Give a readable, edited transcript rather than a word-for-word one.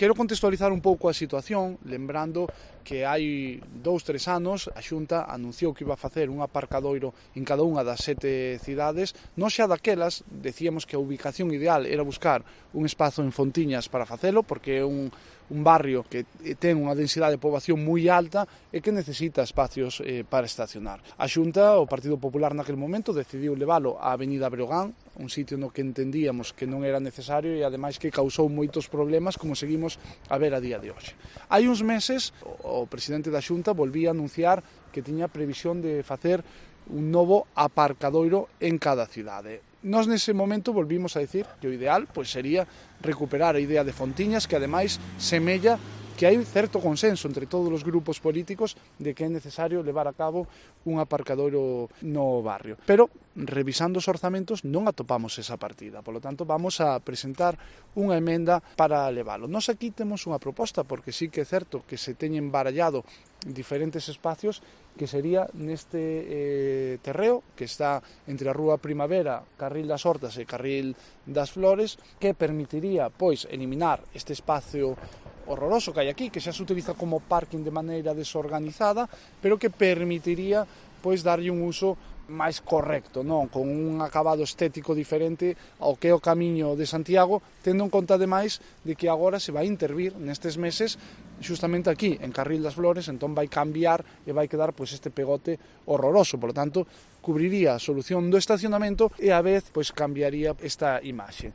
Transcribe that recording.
Quero contextualizar un pouco a situación, lembrando que hai 2-3 anos a Xunta anunciou que iba a facer un aparcadoiro en cada unha das 7 cidades. Nós xa daquelas decíamos que a ubicación ideal era buscar un espazo en Fontiñas para facelo, porque é un barrio que ten unha densidade de poboación moi alta e que necesita espacios para estacionar. A Xunta, o Partido Popular naquele momento, decidiu leválo á Avenida Breogán, un sitio no que entendíamos que non era necesario e ademais que causou moitos problemas como seguimos a ver a día de hoxe. Hai uns meses o presidente da Xunta volvía a anunciar que tiña previsión de facer un novo aparcadoiro en cada cidade. Nós nese momento volvimos a decir que o ideal sería recuperar a idea de Fontiñas, que ademais semella que hai certo consenso entre todos os grupos políticos de que é necesario levar a cabo un aparcadoiro no barrio. Pero, revisando os orzamentos, non atopamos esa partida. Por lo tanto, vamos a presentar unha emenda para levalo. Nós aquí temos unha proposta, porque sí que é certo que se teñen barallado diferentes espacios, que sería neste terreo que está entre a Rúa Primavera, Carril das Hortas e Carril das Flores, que permitiría, eliminar este espacio horroroso que hai aquí, que xa se utiliza como parking de maneira desorganizada, pero que permitiría darlle un uso máis correcto, non? Con un acabado estético diferente ao que é o camiño de Santiago, tendo en conta ademais de que agora se vai intervir nestes meses justamente aquí, en Carril das Flores, entón vai cambiar e vai quedar este pegote horroroso, por lo tanto, cubriría a solución do estacionamento e a vez cambiaría esta imaxe.